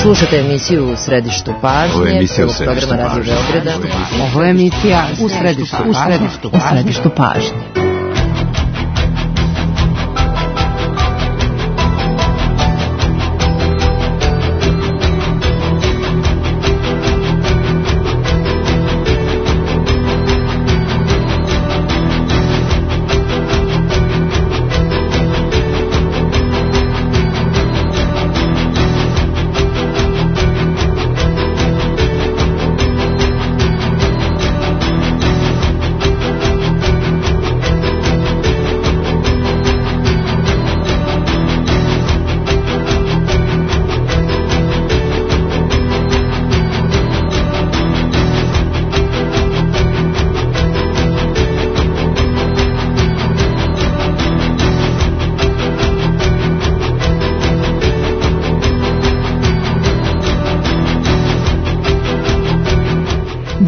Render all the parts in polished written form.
Slušate emisiju U središtu pažnje, prvog programa Radio Beograda. Ovo je emisija U središtu pažnje.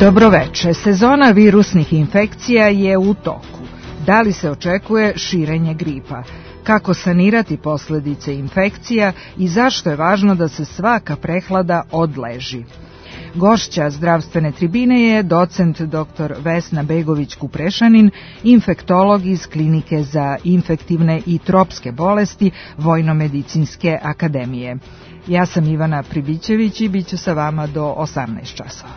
Dobroveče, sezona virusnih infekcija je u toku. Da li se očekuje širenje gripa? Kako sanirati posljedice infekcija i zašto je važno da se svaka prehlada odleži? Gošća zdravstvene tribine je docent dr. Vesna Begović-Kuprešanin, infektolog iz Klinike za infektivne i tropske bolesti Vojnomedicinske akademije. Ja sam Ivana Pribićević i bit ću sa vama do 18 časova.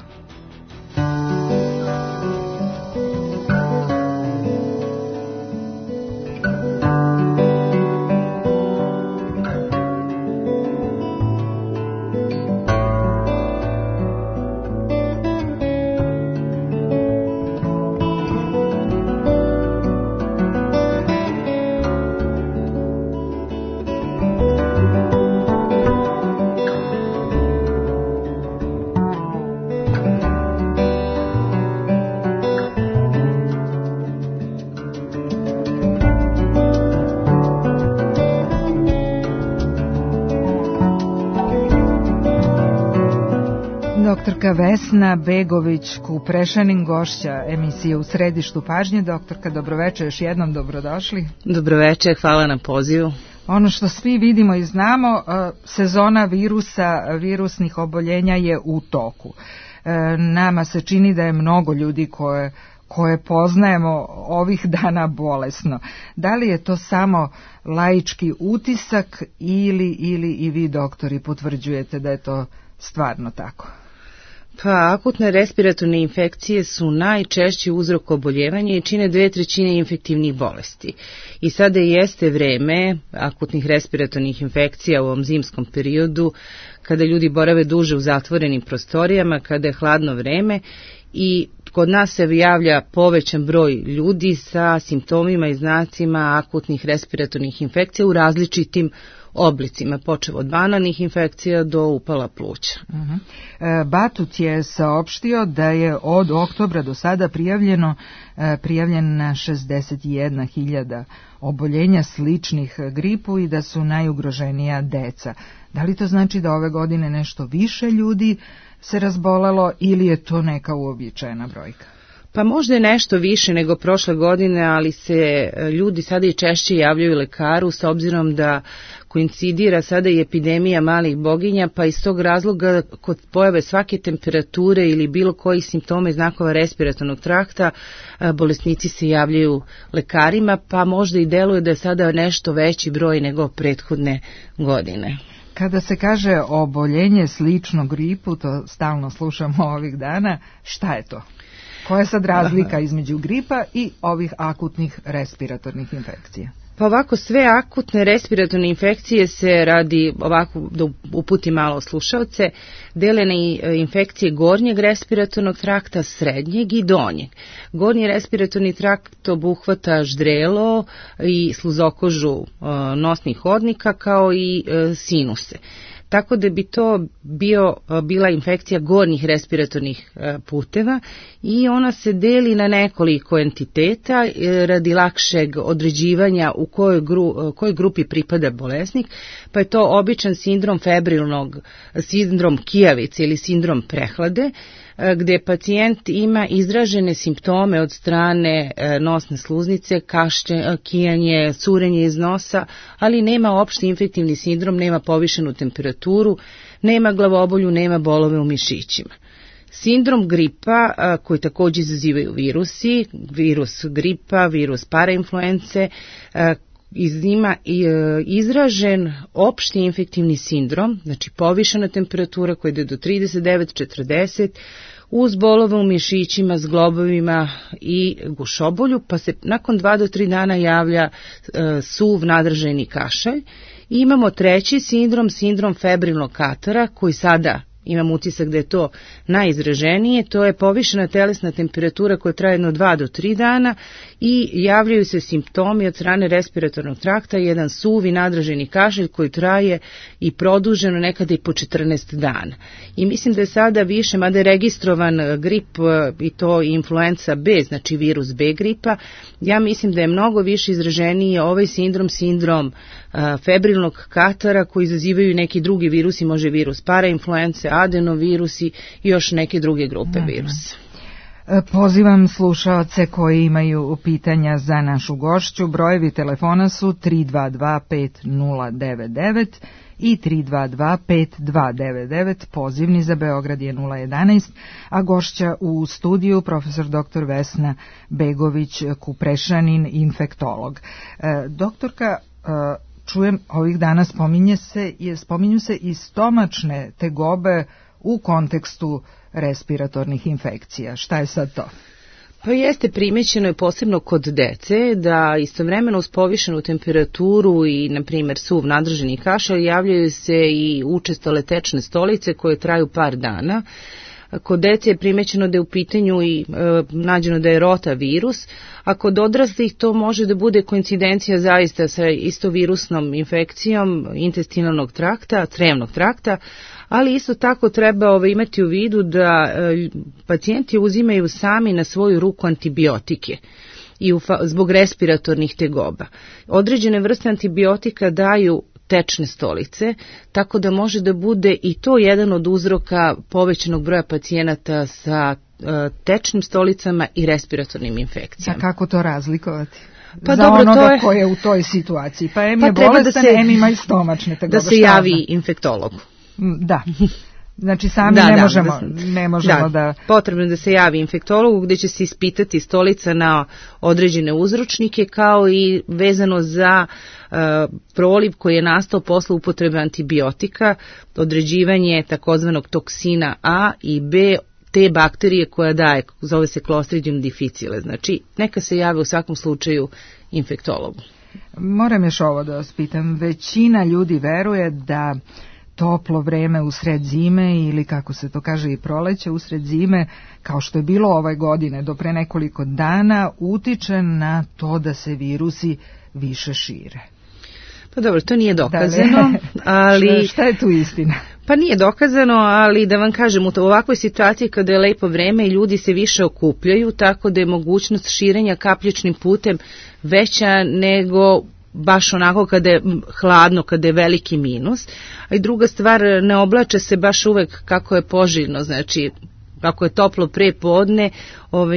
Doktorka Vesna Begović-Kuprešanin, gošća emisije U središtu pažnje. Doktorka, dobroveče, još jednom dobrodošli. Dobroveče, hvala na pozivu. Ono što svi vidimo i znamo, sezona virusnih oboljenja je u toku. Nama se čini da je mnogo ljudi koje poznajemo ovih dana bolesno. Da li je to samo laički utisak ili i vi, doktori, potvrđujete da je to stvarno tako? Pa, akutne respiratorne infekcije su najčešći uzrok oboljevanja i čine 2/3 infektivnih bolesti. I sada jeste vreme akutnih respiratornih infekcija u ovom zimskom periodu, kada ljudi borave duže u zatvorenim prostorijama, kada je hladno vreme i kod nas se javlja povećan broj ljudi sa simptomima i znacima akutnih respiratornih infekcija u različitim oblicima, počev od banalnih infekcija do upala pluća. Batut je saopštio da je od oktobra do sada prijavljena 61.000 oboljenja sličnih gripu i da su najugroženija deca. Da li to znači da ove godine nešto više ljudi se razbolelo ili je to neka uobičajena brojka? Pa možda je nešto više nego prošle godine, ali se ljudi sada i češće javljaju lekaru s obzirom da koincidira sada i epidemija malih boginja, pa iz tog razloga kod pojave svake temperature ili bilo kojih simptoma i znakova respiratornog trakta, bolesnici se javljaju lekarima, pa možda i deluje da je sada nešto veći broj nego prethodne godine. Kada se kaže oboljenje slično gripu, to stalno slušamo ovih dana, šta je to? Koja je sad razlika između gripa i ovih akutnih respiratornih infekcija? Pa ovako, sve akutne respiratorne infekcije se radi, ovako da uputi malo slušalce, dele na infekcije gornjeg respiratornog trakta, srednjeg i donjeg. Gornji respiratorni trakt obuhvata ždrelo i sluzokožu nosnih hodnika kao i sinuse. Tako da bi to bila infekcija gornjih respiratornih puteva i ona se deli na nekoliko entiteta radi lakšeg određivanja u kojoj grupi pripada bolesnik, pa je to običan sindrom febrilnog, sindrom kijavice ili sindrom prehlade, gdje pacijent ima izražene simptome od strane nosne sluznice, kašlje, kijanje, curenje iz nosa, ali nema opšti infektivni sindrom, nema povišenu temperaturu, nema glavobolju, nema bolove u mišićima. Sindrom gripa, koji također izazivaju virusi, virus gripa, virus parainfluence, ima izražen opšti infektivni sindrom, znači povišena temperatura koja ide do 39-40, uz bolove u mišićima, zglobovima i gušobolju, pa se nakon 2 do 3 dana javlja suv nadraženi kašalj. I imamo treći sindrom, sindrom febrilnog katara, koji sada imam utisak da je to najizraženije, to je povišena telesna temperatura koja traje jedno 2 do 3 dana i javljaju se simptomi od strane respiratornog trakta, jedan suvi nadraženi kašalj koji traje i produženo nekada i po 14 dana. I mislim da je sada više, mada je registrovan grip i to influenza B, znači virus B gripa, ja mislim da je mnogo više izraženiji ovaj sindrom febrilnog katara koji izazivaju neki drugi virusi, može virus parainfluence, adenovirusi i još neke druge grupe virusa. Pozivam slušaoce koji imaju pitanja za našu gošću. Brojevi telefona su 322-5099 i 322-5299. Pozivni za Beograd je 011, a gošća u studiju profesor dr. Vesna Begović-Kuprešanin, infektolog. Doktorka, čujem ovih dana spominju se i stomačne tegobe u kontekstu respiratornih infekcija. Šta je sad to? Pa jeste, primećeno je posebno kod dece da istovremeno uz povišenu temperaturu i, na primjer, suv nadraženi kašalj javljaju se i učestale tečne stolice koje traju par dana. Kod dece je primećeno da je u pitanju i nađeno da je rotavirus, a kod odraslih to može da bude koincidencija zaista sa istovirusnom infekcijom intestinalnog trakta, crevnog trakta, ali isto tako treba imati u vidu da pacijenti uzimaju sami na svoju ruku antibiotike i zbog respiratornih tegoba. Određene vrste antibiotika daju tečne stolice, tako da može da bude i to jedan od uzroka povećanog broja pacijenata sa tečnim stolicama i respiratornim infekcijama. A kako to razlikovati? Pa za dobro, onoga ko je u toj situaciji. Pa je bolestan, ima i stomačne tegobe. Da se javi infektologu. Da. Znači sami ne možemo da... Potrebno je da se javi infektologu gdje će se ispitati stolica na određene uzročnike, kao i vezano za proliv koji je nastao posle upotrebe antibiotika, određivanje takozvanog toksina A i B te bakterije koja daje, zove se Clostridium difficile. Znači neka se jave u svakom slučaju infektologu. Moram još ovo da vas pitam. Većina ljudi veruje da toplo vreme usred zime ili kako se to kaže i proleće usred zime, kao što je bilo ove godine do pre nekoliko dana, utiče na to da se virusi više šire. Pa dobro, to nije dokazano, ali... Šta je tu istina? Pa nije dokazano, ali da vam kažem, u ovakvoj situaciji kada je lepo vreme i ljudi se više okupljaju, tako da je mogućnost širenja kapljičnim putem veća nego baš onako kada je hladno, kada je veliki minus. A i druga stvar, ne oblače se baš uvek kako je poželjno, znači ako je toplo pre podne,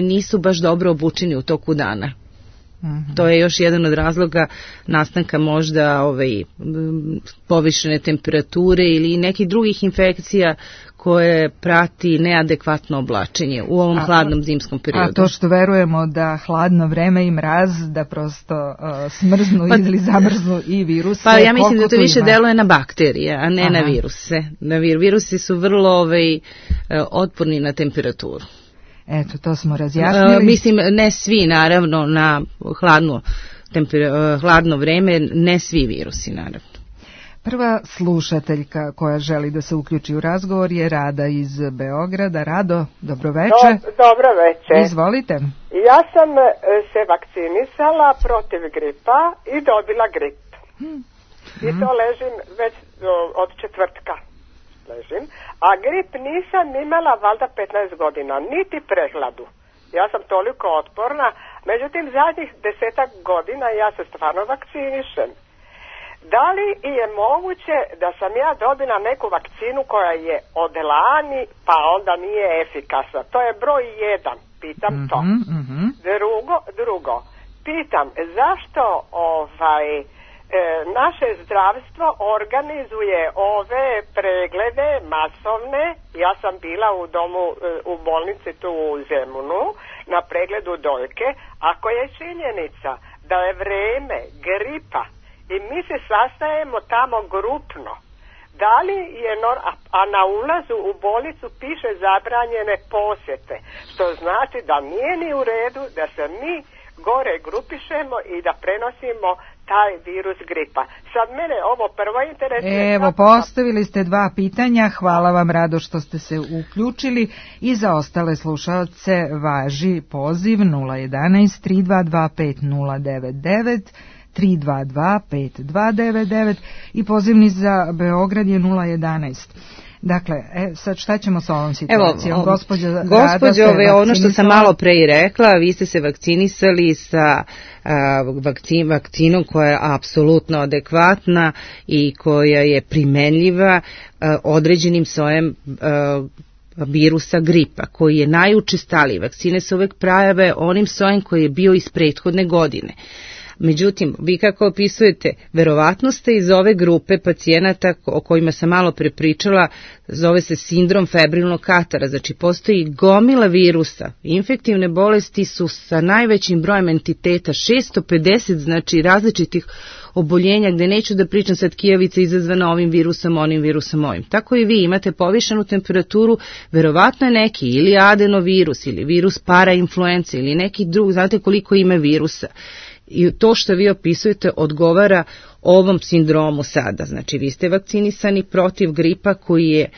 nisu baš dobro obučeni u toku dana. To je još jedan od razloga nastanka možda povišene temperature ili nekih drugih infekcija koje prati neadekvatno oblačenje u ovom hladnom zimskom periodu. A to što verujemo da hladno vreme i mraz da prosto smrznu ili zamrznu i viruse. Pa ja mislim da to više deluje na bakterije, a ne na viruse. Virusi su vrlo otporni na temperaturu. Eto, to smo razjasnili. Mislim, ne svi, naravno, na hladno vreme, ne svi virusi, naravno. Prva slušateljka koja želi da se uključi u razgovor je Rada iz Beograda. Rado, dobroveče. Dobro veče. Izvolite. Ja sam se vakcinisala protiv gripa i dobila grip. I to ležim već od četvrtka. A grip nisam imala valjda 15 godina, niti prehladu. Ja sam toliko otporna, međutim zadnjih 10 godina ja se stvarno vakcinišem. Da li je moguće da sam ja dobila neku vakcinu koja je od lani, pa onda nije efikasna? To je broj 1, pitam to. Drugo, pitam zašto naše zdravstvo organizuje ove preglede masovne. Ja sam bila u domu, u bolnici tu u Zemunu na pregledu dojke, ako je činjenica da je vreme gripa i mi se sastajemo tamo grupno, da li je a na ulazu u bolnicu piše zabranjene posjete, što znači da nije ni u redu da se mi gore grupišemo i da prenosimo taj virus gripa. Sad mene ovo prvo interesuje. Evo, postavili ste 2 pitanja, hvala vam Rado što ste se uključili i za ostale slušaoce važi poziv 011 322 5099 322 5299 i pozivni za Beograd je 011. Dakle, sad šta ćemo sa ovom situacijom? Gospođo, ono što sam malo pre i rekla, vi ste se vakcinisali sa vakcinom koja je apsolutno adekvatna i koja je primenljiva određenim sojem virusa gripa, koji je najučestaliji. Vakcine se uvek prave onim sojem koji je bio iz prethodne godine. Međutim, vi kako opisujete, verovatno ste iz ove grupe pacijenata o kojima sam malo prepričala, zove se sindrom febrilnog katara, znači postoji gomila virusa. Infektivne bolesti su sa najvećim brojem entiteta, 650, znači različitih oboljenja, gde neću da pričam sad kijavica izazvana ovim virusom, onim virusom, ovim. Tako i vi imate povišenu temperaturu, verovatno je neki ili adenovirus ili virus parainfluence ili neki drugi, znate koliko ima virusa. I to što vi opisujete odgovara ovom sindromu sada. Znači, vi ste vakcinisani protiv gripa koji je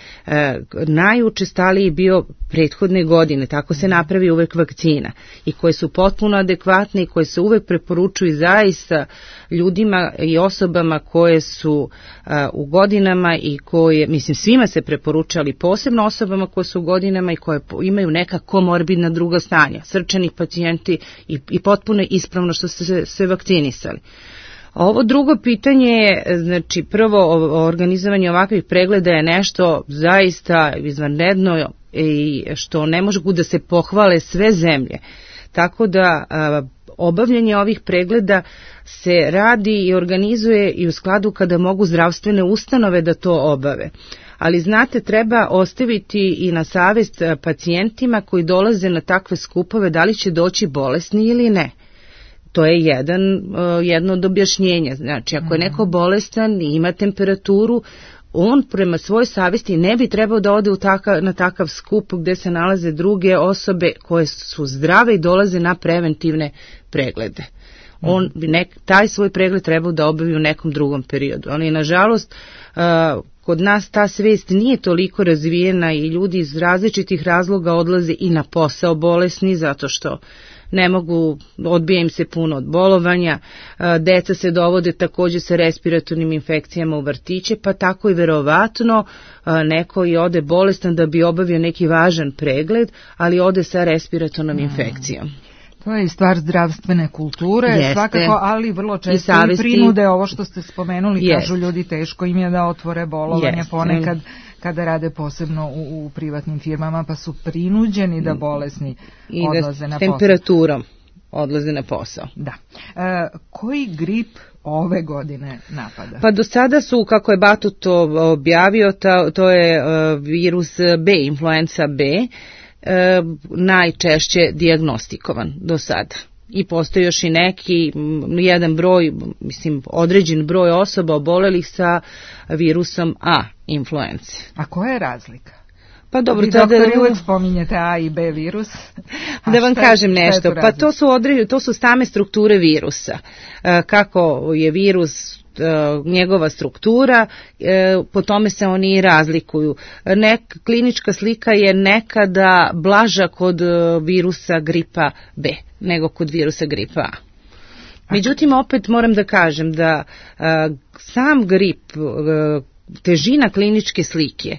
najučestaliji bio prethodne godine. Tako se napravi uvek vakcina i koje su potpuno adekvatne i koje se uvek preporučuju zaista ljudima i osobama koje su u godinama i koje, mislim, svima se preporučuje, ali posebno osobama koje su u godinama i koje imaju neka komorbidna druga stanja, srčani pacijenti i potpuno ispravno što ste se vakcinisali. Ovo drugo pitanje je, znači prvo organizovanje ovakvih pregleda je nešto zaista izvanredno i što ne mogu da se pohvale sve zemlje. Tako da obavljanje ovih pregleda se radi i organizuje i u skladu kada mogu zdravstvene ustanove da to obave. Ali znate, treba ostaviti i na savest pacijentima koji dolaze na takve skupove da li će doći bolesni ili ne. To je jedno od objašnjenja. Znači, ako je neko bolestan i ima temperaturu, on prema svojoj savjesti ne bi trebao da ode na takav skup gde se nalaze druge osobe koje su zdrave i dolaze na preventivne preglede. On bi taj svoj pregled trebao da obavi u nekom drugom periodu. Ali, nažalost, kod nas ta svest nije toliko razvijena i ljudi iz različitih razloga odlaze i na posao bolesni zato što ne mogu, odbija im se puno od bolovanja, deca se dovode također sa respiratornim infekcijama u vrtiće, pa tako i verovatno neko i ode bolestan da bi obavio neki važan pregled, ali ode sa respiratornom infekcijom. To je i stvar zdravstvene kulture, svakako, ali vrlo često i prinude, ovo što ste spomenuli, kažu ljudi teško im je da otvore bolovanje ponekad kada rade posebno u privatnim firmama, pa su prinuđeni da bolesni odlaze na posao. I temperaturom odlaze na posao. Da. Koji grip ove godine napada? Pa do sada su, kako je Batut objavio, to je virus B, influenza B, najčešće dijagnostikovan do sada. I postoji još i jedan broj, mislim, određen broj osoba obolelih sa virusom A influence. A koja je razlika? Pa dobro, vi doktori uvek spominjete A i B virus. Da vam kažem nešto, pa to su same strukture virusa. Kako je virus, njegova struktura, po tome se oni i razlikuju. Klinička slika je nekada blaža kod virusa gripa B nego kod virusa gripa A. Međutim, opet moram da kažem da sam grip, težina kliničke slike,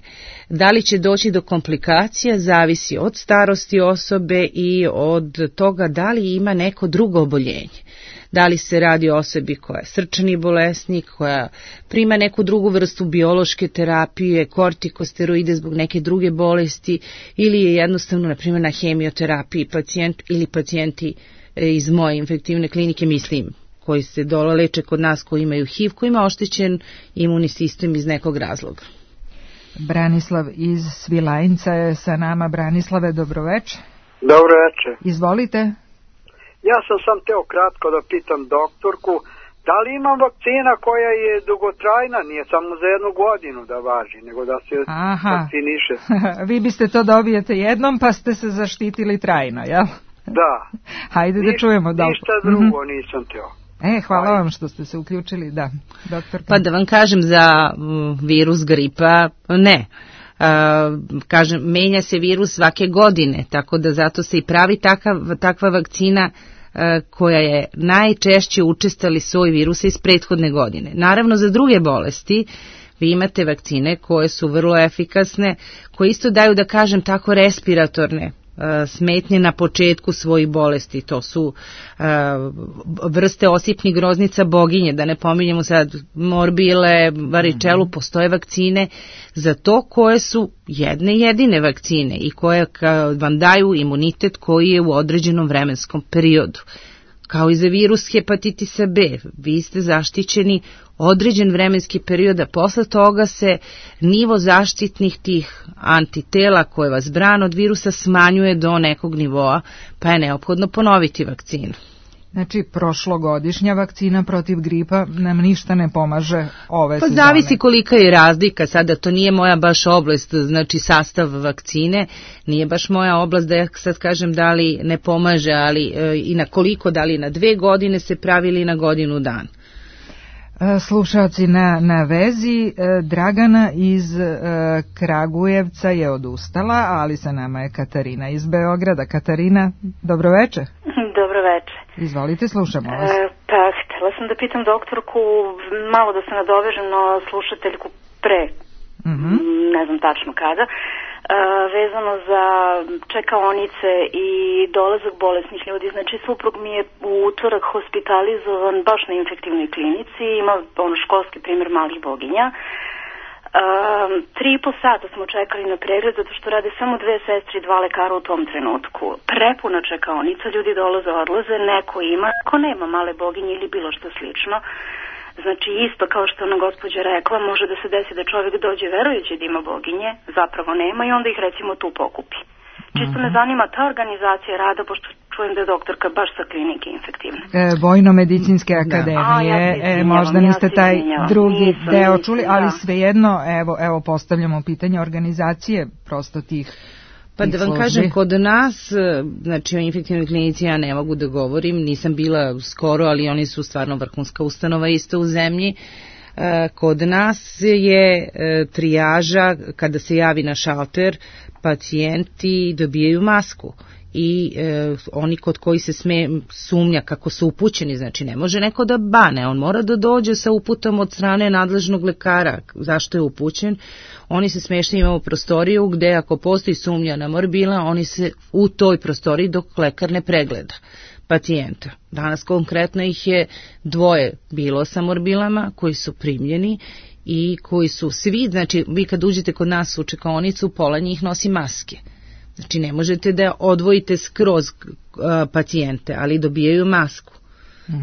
da li će doći do komplikacija, zavisi od starosti osobe i od toga da li ima neko drugo oboljenje. da li se radi o osobi koja je srčani bolesnik, koja prima neku drugu vrstu biološke terapije, kortikosteroide zbog neke druge bolesti, ili je jednostavno, na primjer, na hemioterapiji pacijent ili pacijenti iz moje infektivne klinike, mislim, koji se leče kod nas, koji imaju HIV, koji ima oštećen imunni sistem iz nekog razloga. Branislav iz Svilajnca je sa nama. Branislave, dobroveče. Dobroveče. Izvolite. Ja sam teo kratko da pitam doktorku, da li imam vakcina koja je dugotrajna, nije samo za 1 godinu da važi, nego da se vakciniše. Vi biste to dobijete jednom, pa ste se zaštitili trajno, jel? Da. Hajde da čujemo. Ništa drugo nisam teo. Hvala vam što ste se uključili, da, doktor. Pa da vam kažem, za virus gripa ne. Kažem, menja se virus svake godine, tako da zato se i pravi takva vakcina koja je najčešće učestali soj virusa iz prethodne godine. Naravno, za druge bolesti vi imate vakcine koje su vrlo efikasne, koje isto daju, da kažem tako, respiratorne smetnje na početku svojih bolesti. To su vrste osipnih groznica boginje, da ne pominjemo sad morbile, varičelu, postoje vakcine za to koje su jedine vakcine i koje vam daju imunitet koji je u određenom vremenskom periodu. Kao i za virus hepatitisa B, vi ste zaštićeni određen vremenski period, a posle toga se nivo zaštitnih tih antitela koje vas brane od virusa smanjuje do nekog nivoa, pa je neophodno ponoviti vakcinu. Znači, prošlogodišnja vakcina protiv gripa nam ništa ne pomaže ove sezone. Pa zavisi kolika je razlika, sada to nije moja baš oblast, znači sastav vakcine, nije baš moja oblast da ja sad kažem da li ne pomaže, ali i na koliko, da li na 2 godine se pravi ili na godinu dana. Slušalci na vezi, Dragana iz Kragujevca je odustala, ali sa nama je Katarina iz Beograda. Katarina, dobroveče. Dobroveče. Izvolite, slušamo vas. Pa, htjela sam da pitam doktorku, malo da se nadovežem na slušateljku pre, ne znam tačno kada, vezano za čekaonice i dolazak bolesnih ljudi. Znači, suprug mi je u utorak hospitalizovan baš na infektivnoj klinici, ima školski primjer malih boginja. 3,5 sata smo čekali na pregled zato što rade samo 2 sestre i 2 lekara u tom trenutku. Prepuna čekaonica, ljudi dolaze, odlaze, neko ima, ako nema male boginje ili bilo što slično. Znači, isto kao što ona gospođa rekla, može da se desi da čovjek dođe verujući da ima boginje, zapravo nema i onda ih recimo tu pokupi. Čisto me zanima ta organizacija rada, pošto čujem da je doktorka baš sa klinike infektivne. Vojno-medicinske akademije, možda niste taj drugi deo čuli, ali svejedno, evo postavljamo pitanje organizacije prosto tih. Pa da vam kažem, kod nas, znači o infektivnoj klinici ja ne mogu da govorim, nisam bila skoro, ali oni su stvarno vrhunska ustanova isto u zemlji. Kod nas je trijaža, kada se javi na šalter, pacijenti dobijaju masku i oni kod koji se sumnja kako su upućeni, znači ne može neko da bane, on mora da dođe sa uputom od strane nadležnog lekara zašto je upućen. Oni se smeštaju, imamo prostoriju gde ako postoji sumnja na morbila, oni se u toj prostoriji dok lekar ne pregleda pacijenta. Danas konkretno ih je 2 bilo sa morbilama koji su primljeni i koji su svi, znači vi kad uđete kod nas u čekaonicu, pola njih nosi maske. Znači ne možete da odvojite skroz pacijente, ali dobijaju masku.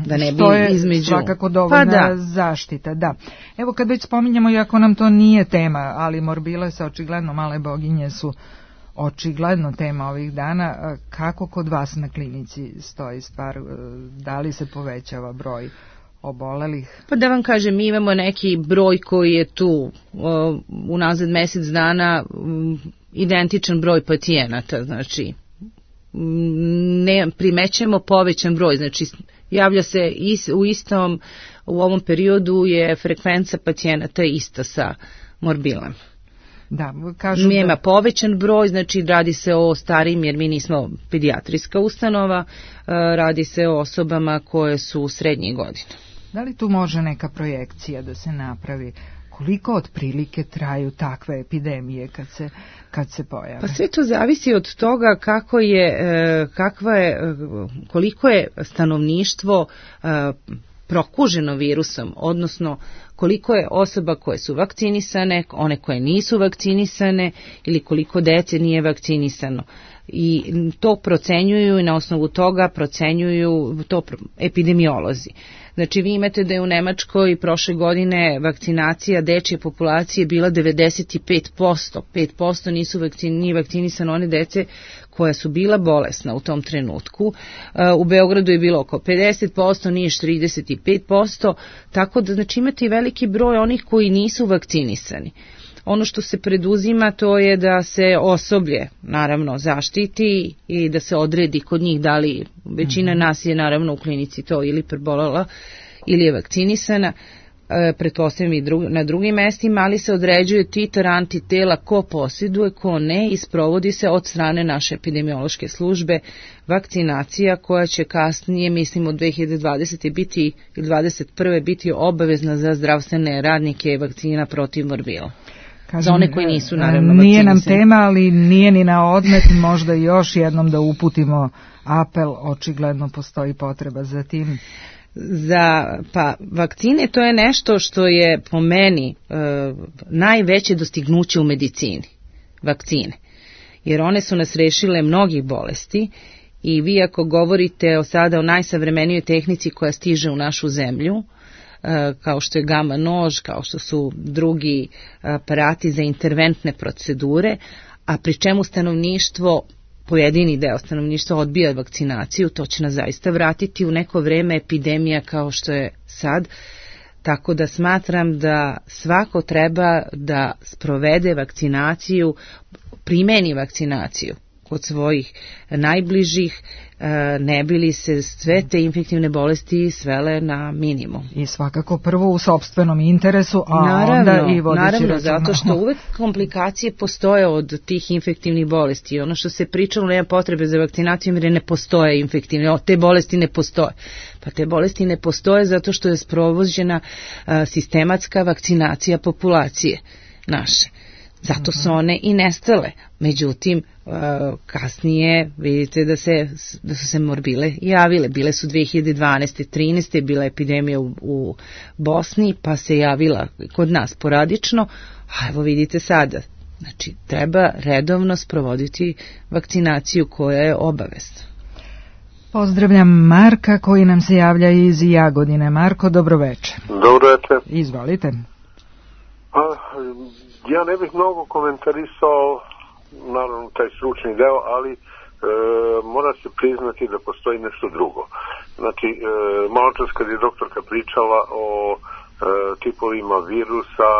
Da ne bi što je između... svakako dovoljna zaštita, da. Evo kad već spominjemo, iako nam to nije tema, ali morbile sa očigledno male boginje su očigledno tema ovih dana, kako kod vas na klinici stoji stvar, da li se povećava broj obolelih? Pa da vam kažem, mi imamo neki broj koji je tu unazad mjesec dana identičan broj pacijenata, znači ne primećemo povećan broj, znači javlja se u ovom periodu je frekvenca pacijenata ista sa morbilom. Da, kažu mi ima povećan broj, znači radi se o starijim, jer mi nismo pedijatrijska ustanova, radi se o osobama koje su srednjih godina. Da li tu može neka projekcija da se napravi Koliko otprilike traju takve epidemije kad se pojave? Pa sve to zavisi od toga koliko je stanovništvo prokuženo virusom, odnosno koliko je osoba koje su vakcinisane, one koje nisu vakcinisane ili koliko dece nije vakcinisano. I to procenjuju i na osnovu toga procenjuju to epidemiolozi. Znači vi imate da je u Nemačkoj prošle godine vakcinacija dečje populacije bila 95%. 5% nije vakcinisano one dece koja su bila bolesna u tom trenutku. U Beogradu je bilo oko 50%, Niš 35%, tako da znači imate i veliki broj onih koji nisu vakcinisani. Ono što se preduzima to je da se osoblje naravno zaštiti i da se odredi kod njih da li većina nas je naravno u klinici to ili prebolela ili je vakcinisana, pretpostavljam i na drugim mestima, ali se određuje titar antitela ko posjeduje, ko ne i sprovodi se od strane naše epidemiološke službe vakcinacija koja će kasnije, mislim od 2020. biti ili 2021. biti obavezna za zdravstvene radnike vakcina protiv morbila. Kažem, za one koji nisu naravno vakcinisani. Nije nam tema, ali nije ni na odmet, možda još jednom da uputimo apel, očigledno postoji potreba za tim. Pa vakcine to je nešto što je po meni najveće dostignuće u medicini, vakcine, jer one su nas rešile mnogih bolesti i vi ako govorite sada o najsavremenijoj tehnici koja stiže u našu zemlju, kao što je gama nož, kao što su drugi aparati za interventne procedure, a pri čemu stanovništvo, pojedini deo stanovništva odbija vakcinaciju, to će nas zaista vratiti u neko vreme epidemija kao što je sad, tako da smatram da svako treba da sprovede vakcinaciju, primeni vakcinaciju kod svojih najbližih, ne bi li se sve te infektivne bolesti svele na minimum. I svakako prvo u sopstvenom interesu, a onda i vodeći računa. Naravno, zato što uvek komplikacije postoje od tih infektivnih bolesti. Ono što se pričalo, nema potrebe za vakcinaciju jer ne postoje infektivne, te bolesti ne postoje. Pa te bolesti ne postoje zato što je sprovođena sistematska vakcinacija populacije naše. Zato su one i nestale. Međutim, kasnije vidite da su se morbile javile. Bile su 2012. 13. bila epidemija u Bosni, pa se javila kod nas poradično, a evo vidite sada. Znači, treba redovno sprovoditi vakcinaciju koja je obavezna. Pozdravljam Marka koji nam se javlja iz Jagodine. Marko, dobroveče. Dobroveče. Izvolite. Ja ne bih mnogo komentarisao, naravno, taj stručni deo, ali mora se priznati da postoji nešto drugo. Znači, malo čas kad je doktorka pričala o tipovima virusa,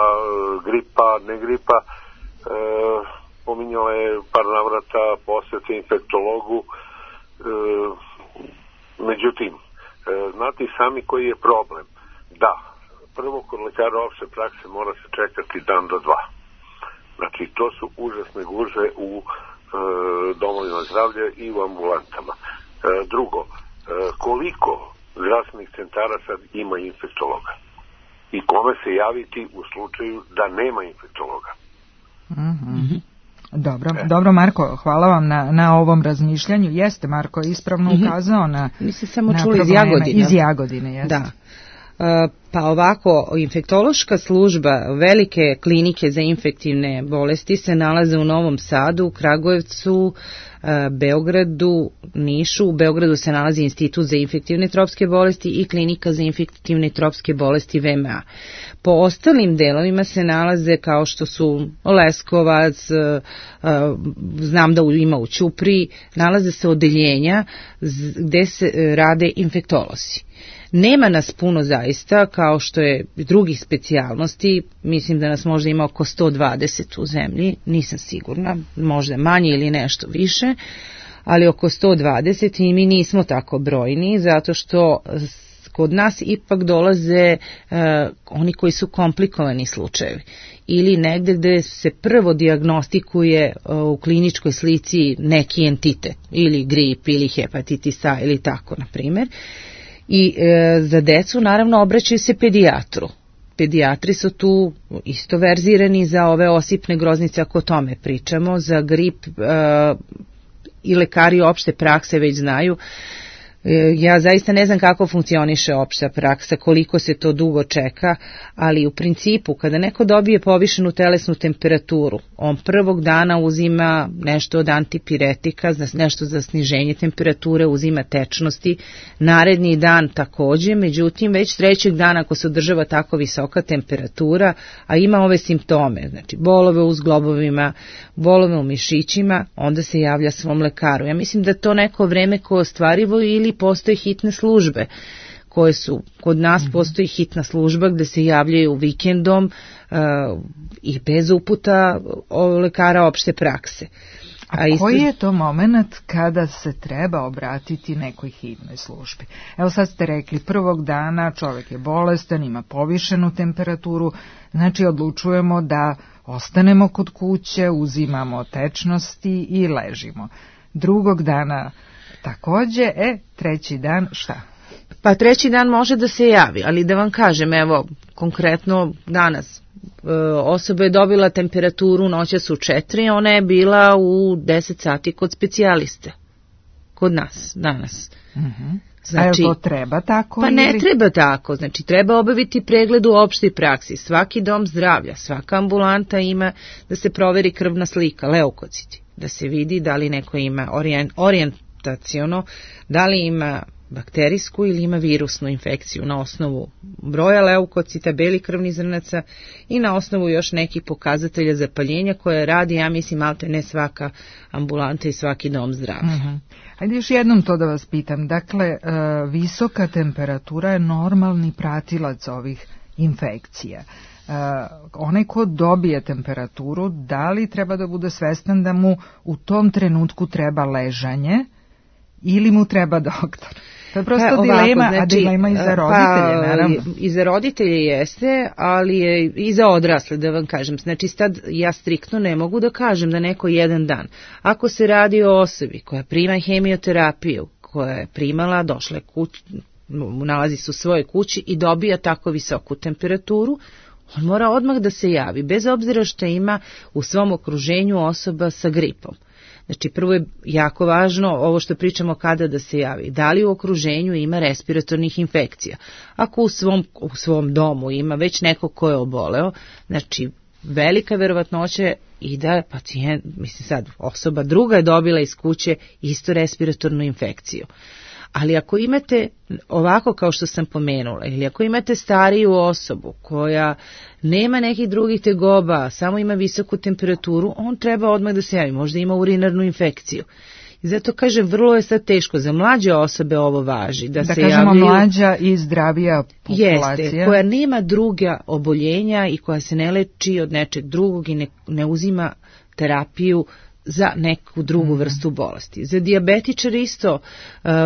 gripa, ne gripa, pominjala je par navrata posete infektologu. Međutim, znate i sami koji je problem. Da, prvo kod lekara opšte prakse mora se čekati dan do dva. Znači, to su užasne gužve u domovima zdravlja i u ambulantama. Drugo, koliko zdravstvenih centara sad ima infektologa? I kome se javiti u slučaju da nema infektologa? Mm-hmm. Dobro Marko, hvala vam na ovom razmišljanju. Jeste, Marko je ispravno ukazao na probleme iz Jagodine. Jeste. Da. Pa ovako, infektološka služba, velike klinike za infektivne bolesti se nalaze u Novom Sadu, Kragujevcu, Beogradu, Nišu. U Beogradu se nalazi Institut za infektivne tropske bolesti i Klinika za infektivne tropske bolesti VMA. Po ostalim delovima se nalaze kao što su Leskovac, znam da ima u Ćupriji, nalaze se odeljenja gde se rade infektolozi. Nema nas puno zaista, kao što je drugih specijalnosti, mislim da nas možda ima oko 120 u zemlji, nisam sigurna, možda manje ili nešto više, ali oko 120 i mi nismo tako brojni, zato što kod nas ipak dolaze oni koji su komplikovani slučajevi ili negde gde se prvo dijagnostikuje u kliničkoj slici neki entitet, ili grip, ili hepatitis A, ili tako, na primjer. I za decu naravno obraćaju se pedijatru pedijatri su tu isto verzirani za ove osipne groznice, ako o tome pričamo, za grip i lekari opšte prakse već znaju. Ja zaista ne znam kako funkcioniše opšta praksa, koliko se to dugo čeka, ali u principu kada neko dobije povišenu telesnu temperaturu, on prvog dana uzima nešto od antipiretika, nešto za sniženje temperature, uzima tečnosti, naredni dan takođe, međutim već trećeg dana ako se održava tako visoka temperatura, a ima ove simptome, znači bolove u zglobovima, bolove u mišićima, onda se javlja svom lekaru. Ja mislim da to neko vreme koje je ostvarivo ili postoje hitne službe koje su, kod nas postoji hitna služba gde se javljaju vikendom i bez uputa lekara opšte prakse. A koji je to moment kada se treba obratiti nekoj hitnoj službi? Evo sad ste rekli, prvog dana čovjek je bolestan, ima povišenu temperaturu, znači odlučujemo da ostanemo kod kuće, uzimamo tečnosti i ležimo. Drugog dana takođe, treći dan šta? Pa treći dan može da se javi, ali da vam kažem, evo, konkretno danas, osoba je dobila temperaturu noćas u 4, ona je bila u 10 sati kod specijaliste, kod nas, danas. Znači, a to treba tako? Pa ne treba tako, znači treba obaviti pregled u opštoj praksi. Svaki dom zdravlja, svaka ambulanta ima da se proveri krvna slika, leukociti, da se vidi da li neko ima orijentaciono, da li ima bakterijsku ili ima virusnu infekciju na osnovu broja leukocita, belih krvnih zrnaca i na osnovu još nekih pokazatelja zapaljenja koje radi, ja mislim, malte ne svaka ambulanta i svaki dom zdravlja. Ajde još jednom to da vas pitam. Dakle, visoka temperatura je normalni pratilac ovih infekcija. Onaj ko dobije temperaturu, da li treba da bude svestan da mu u tom trenutku treba ležanje ili mu treba doktor? To je prosto dilema, znači, a dilema i za roditelje, naravno. I za roditelje jeste, ali je i za odrasle, da vam kažem. Znači, sad ja striktno ne mogu da kažem da neko jedan dan. Ako se radi o osobi koja prima hemioterapiju, koja je primala, došla je kući, nalazi se u svojoj kući i dobija tako visoku temperaturu, on mora odmah da se javi, bez obzira što ima u svom okruženju osoba sa gripom. Znači, prvo je jako važno ovo što pričamo kada da se javi. Da li u okruženju ima respiratornih infekcija? Ako u svom domu ima već neko ko je oboleo, znači velika verovatnoća i da pacijent, mislim sad, osoba druga je dobila iz kuće isto respiratornu infekciju. Ali ako imate ovako kao što sam pomenula, ili ako imate stariju osobu koja nema nekih drugih tegoba, samo ima visoku temperaturu, on treba odmah da se javi, možda ima urinarnu infekciju. I zato kažem, vrlo je sad teško, za mlađe osobe ovo važi. Da se kažemo javljaju, mlađa i zdravija populacija. Jeste, koja nema druga oboljenja i koja se ne leči od nečeg drugog i ne uzima terapiju za neku drugu vrstu bolesti. Za dijabetičare isto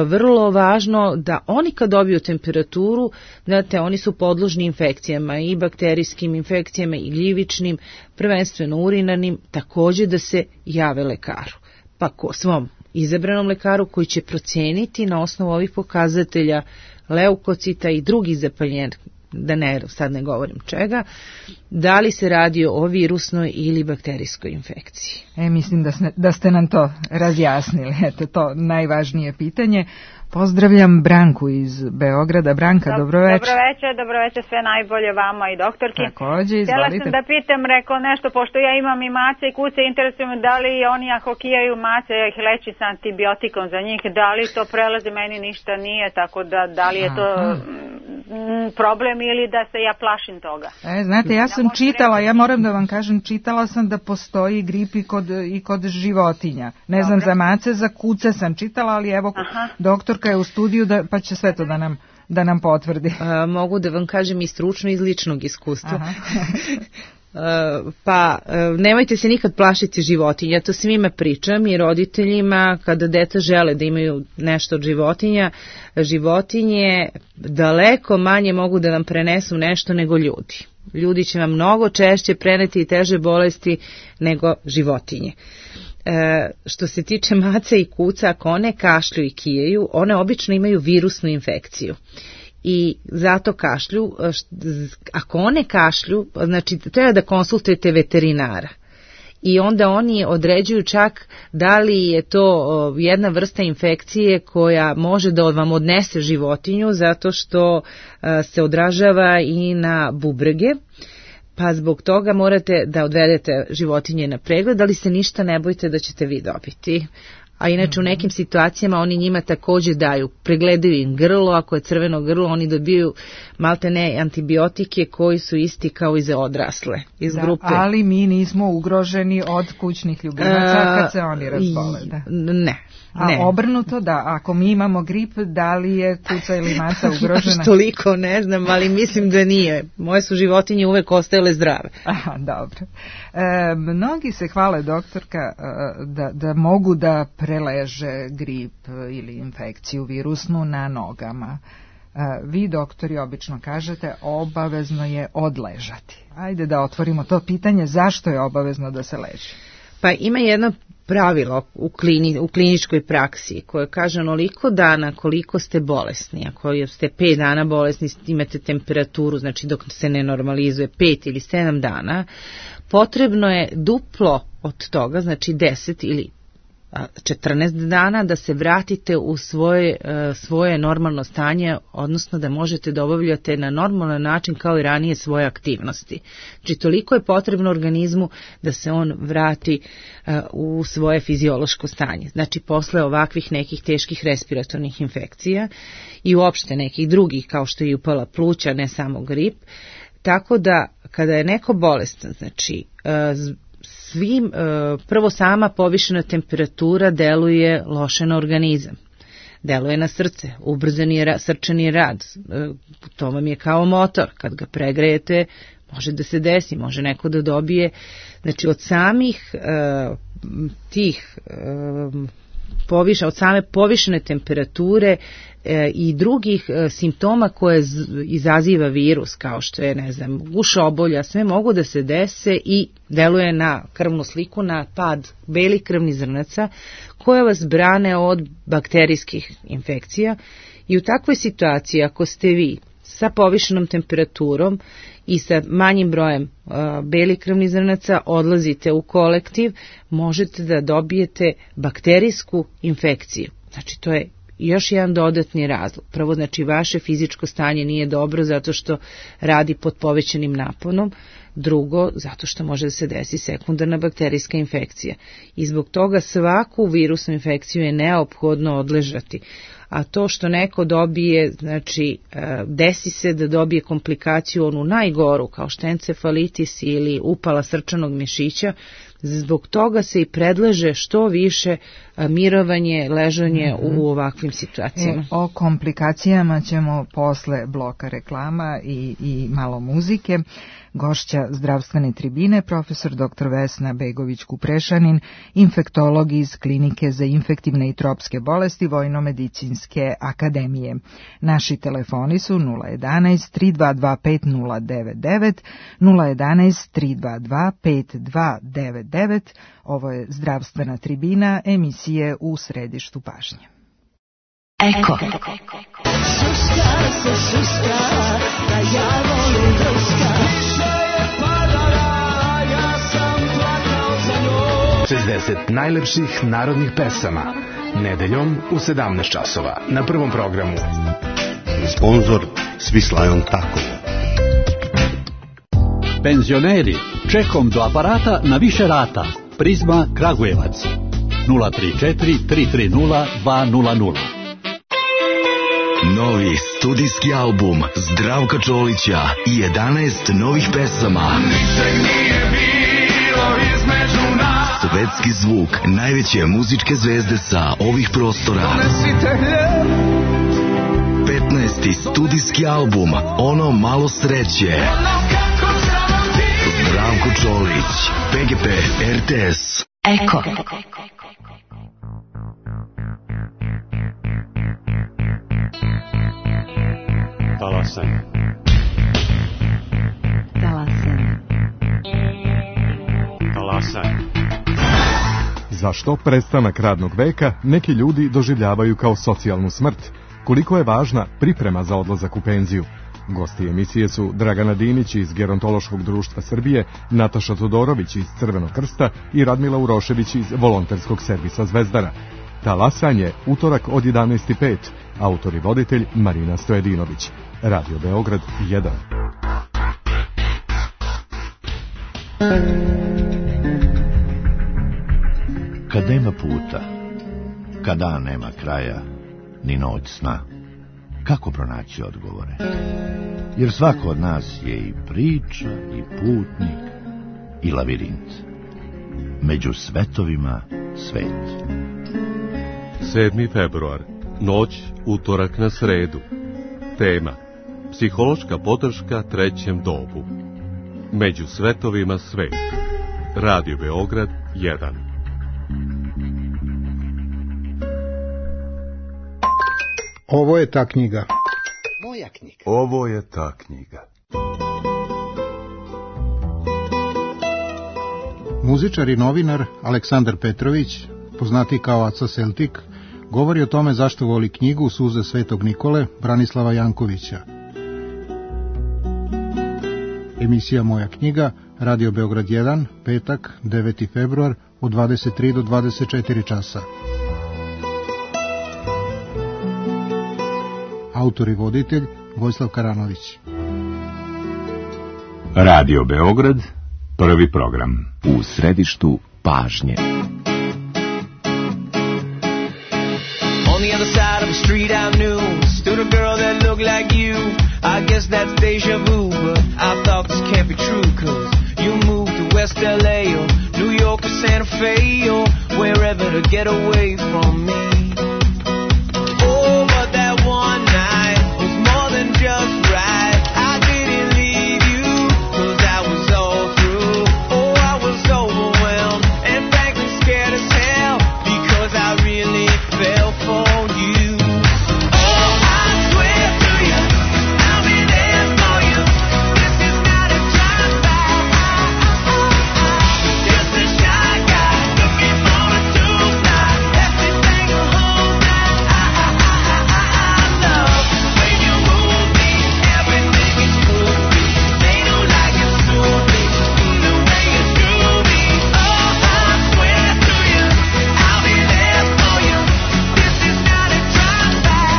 vrlo važno da oni kad dobiju temperaturu, znate, oni su podložni infekcijama i bakterijskim infekcijama i gljivičnim, prvenstveno urinarnim, također da se jave lekaru. Pa svom izabranom lekaru koji će proceniti na osnovu ovih pokazatelja leukocita i drugih zapaljenja, da sad ne govorim čega, da li se radi o virusnoj ili bakterijskoj infekciji. Mislim da ste nam to razjasnili. Eto, to najvažnije pitanje. Pozdravljam Branku iz Beograda. Branka, dobroveče. Dobroveče, sve najbolje vama i doktorki. Takođe, izvolite. Htjela sam da pitam, rekao nešto, pošto ja imam i mace i kuce, interesujem da li oni ako kijaju mace, ja ih lečim sa antibiotikom za njih, da li to prelazi, meni ništa nije, tako da li je to problem ili da se ja plašim toga. Znate, ja sam čitala, ja moram da vam kažem, čitala sam da postoji grip i kod životinja. Ne znam za mace, za kuce sam čitala, ali evo, doktorka je u studiju pa će sve to da nam potvrdi. Mogu da vam kažem i stručno iz ličnog iskustva. Pa nemojte se nikad plašiti životinja, ja to svima pričam i roditeljima kada deca žele da imaju nešto od životinja, životinje daleko manje mogu da vam prenesu nešto nego ljudi. Ljudi će vam mnogo češće preneti i teže bolesti nego životinje. Što se tiče maca i kuca, ako one kašlju i kijaju, one obično imaju virusnu infekciju. i zato kašlju. Ako one kašlju, znači treba da konsultujete veterinara. I onda oni određuju čak da li je to jedna vrsta infekcije koja može da vam odnese životinju zato što se odražava i na bubrege, pa zbog toga morate da odvedete životinje na pregled, ali se ništa ne bojite da ćete vi dobiti. A inače u nekim situacijama oni njima takođe daju, pregledaju im grlo, ako je crveno grlo oni dobiju maltene antibiotike koji su isti kao i za odrasle iz grupe. Ali mi nismo ugroženi od kućnih ljubimaca kad se oni razbole. Da. Ne. A obrnuto da, ako mi imamo grip, da li je kuca ili maca ugrožena? Toliko ne znam, ali mislim da nije. Moje su životinje uvek ostajale zdrave. Aha, dobro. Mnogi se hvale, doktorka, da mogu da preleže grip ili infekciju virusnu na nogama. Vi, doktori, obično kažete obavezno je odležati. Ajde da otvorimo to pitanje, zašto je obavezno da se leži? Pa ima jedno pravilo u kliničkoj praksi koje kaže onoliko dana koliko ste bolesni. Ako ste 5 dana bolesni, imate temperaturu, znači dok se ne normalizuje 5 ili 7 dana, potrebno je duplo od toga, znači 10 ili 14 dana da se vratite u svoje normalno stanje, odnosno da možete da obavljate na normalan način kao i ranije svoje aktivnosti. Znači toliko je potrebno organizmu da se on vrati u svoje fiziološko stanje. Znači posle ovakvih nekih teških respiratornih infekcija i uopšte nekih drugih kao što je upala pluća, ne samo grip. Tako da kada je neko bolestan, znači prvo sama povišena temperatura deluje loše na organizam, deluje na srce, ubrzani je srčani rad, to vam je kao motor, kad ga pregrejete može da se desi, može neko da dobije, znači od samih od same povišene temperature i drugih simptoma koje izaziva virus, kao što je, ne znam, gušobolja, sve mogu da se dese i deluje na krvnu sliku, na pad belih krvnih zrnaca koje vas brane od bakterijskih infekcija. I u takvoj situaciji, ako ste vi sa povišenom temperaturom i sa manjim brojem belih krvnih zrnaca odlazite u kolektiv, možete da dobijete bakterijsku infekciju. Znači to je još jedan dodatni razlog. Prvo, znači vaše fizičko stanje nije dobro zato što radi pod povećanim naponom. Drugo, zato što može da se desi sekundarna bakterijska infekcija. I zbog toga svaku virusnu infekciju je neophodno odležati. A to što neko dobije, znači desi se da dobije komplikaciju onu najgoru kao što je encefalitis ili upala srčanog mišića, zbog toga se i predlaže što više mirovanje, ležanje u ovakvim situacijama. O komplikacijama ćemo posle bloka reklama i malo muzike. Gošća zdravstvene tribine, profesor dr. Vesna Begović-Kuprešanin, infektolog iz Klinike za infektivne i tropske bolesti Vojno-medicinske akademije. Naši telefoni su 011 322 5099, 011 322 5299. Ovo je zdravstvena tribina, emisije U središtu pažnje. Eko. Šuška se šuška, da ja volim druška. Više je padala, ja sam plakao za njom. 60 najlepših narodnih pesama. Nedeljom u 17 časova. Na Prvom programu. Sponzor Svislajon Takovo. Penzioneri, čekom do aparata na više rata. Prizma Kragujevac. 034 330 200. Novi studijski album Zdravka Čolića i 11 novih pesama. Ničeg nije bilo između nas. Svetski zvuk najveće muzičke zvezde sa ovih prostora. 15. studijski album Ono malo sreće. Zdravko Čolić, PGP RTS. Eko. Talasan. Zašto prestanak radnog veka neki ljudi doživljavaju kao socijalnu smrt, koliko je važna priprema za odlazak u penziju. Gosti emisije su Dragana Dinić iz Gerontološkog društva Srbije, Nataša Todorović iz Crvenog krsta i Radmila Urošević iz Volonterskog servisa Zvezdara. Talasanje, utorak od 11:05, autor i voditelj Marina Stojedinović. Radio Beograd 1. Kad nema puta, kad dan nema kraja, ni noć sna, kako pronaći odgovore? Jer svako od nas je i priča, i putnik, i lavirint. Među svetovima svet. 7. februar, noć, utorak na sredu. Tema: psihološka podrška trećem dobu. Među svetovima svet. Radio Beograd 1. Ovo je ta knjiga. Moja knjiga. Ovo je ta knjiga. Muzičar i novinar Aleksandar Petrović, poznati kao Aca Celtik, govori o tome zašto voli knjigu Suze Svetog Nikole Branislava Jankovića. Emisija Moja knjiga, Radio Beograd 1, petak, 9. februar, od 23 do 24 časa. Autor i voditelj Vojislav Karanović. Radio Beograd, prvi program. U središtu pažnje. On the other side of the street I knew stood a girl that looked like you. I guess that's deja vu, but I thought this can't be true, 'cause you moved to West LA or New York or Santa Fe or wherever to get away from me. Oh, but that one night was more than just right. I didn't leave you 'cause I was all through. Oh, I was overwhelmed and frankly scared as hell because I really fell for you. Oh, I swear to you, I'll be there for you. This is not a drive-by. Just a shy guy looking for a two-fly. Everything will hold that I love. When you move me, everything is groovy. They don't like it soon-y, the way you do me. Oh, I swear to you, I'll be there for you. This is not a drive-by.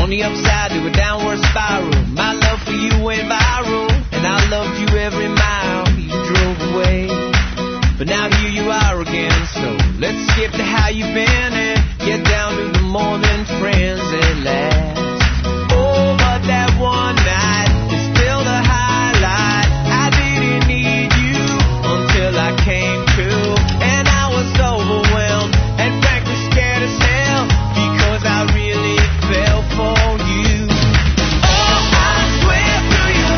On the upside to a downward spiral, my love for you went viral, and I loved you every mile you drove away. But now here you are again, so let's skip to how you've been and get down to the more than friends at last. Oh, but that one night is still the highlight. I didn't need you until I came to, and I was overwhelmed and frankly scared as hell because I really fell for you. Oh, I swear to you,